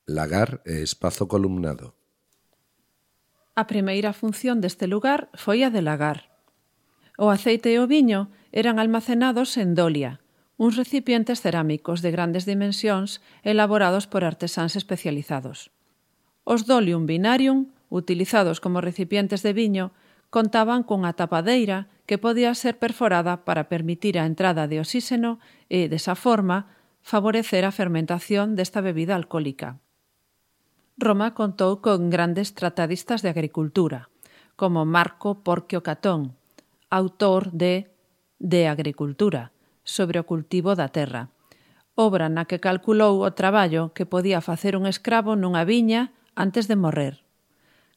lagar e espazo columnado. A primeira función deste lugar foi a de lagar. O aceite e o viño eran almacenados en dolia, uns recipientes cerámicos de grandes dimensións elaborados por artesáns especializados. Os dolium vinarium, utilizados como recipientes de viño, contaban cunha tapadeira que podía ser perforada para permitir a entrada de oxíxeno e, desa forma, favorecer a fermentación desta bebida alcohólica. Roma contou con grandes tratadistas de agricultura, como Marco Porcio Catón, autor de Agricultura, sobre o cultivo da terra, obra na que calculou o traballo que podía facer un escravo nunha viña antes de morrer.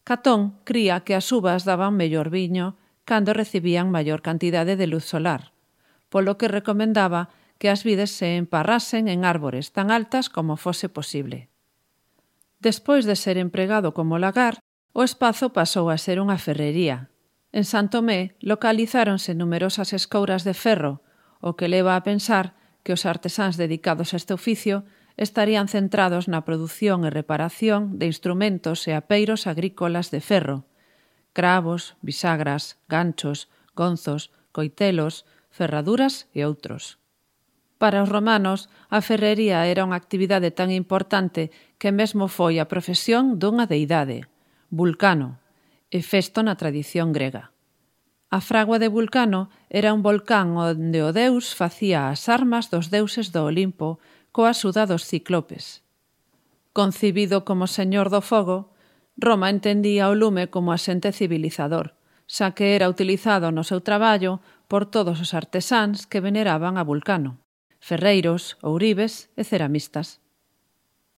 Catón cría que as uvas daban mellor viño cando recibían maior cantidade de luz solar, polo que recomendaba que as vides se emparrasen en árbores tan altas como fose posible. Despois de ser empregado como lagar, o espazo pasou a ser unha ferrería. En San Tomé localizáronse numerosas escouras de ferro, o que leva a pensar que os artesáns dedicados a este oficio estarían centrados na produción e reparación de instrumentos e apeiros agrícolas de ferro, cravos, bisagras, ganchos, gonzos, coitelos, ferraduras e outros. Para os romanos, a ferrería era unha actividade tan importante que mesmo foi a profesión dunha deidade, Vulcano, Hefesto na tradición grega. A fragua de Vulcano era un volcán onde o deus facía as armas dos deuses do Olimpo coa axuda dos ciclopes. Concibido como señor do fogo, Roma entendía o lume como asente civilizador, xa que era utilizado no seu traballo por todos os artesáns que veneraban a Vulcano, ferreiros, ouribes e ceramistas.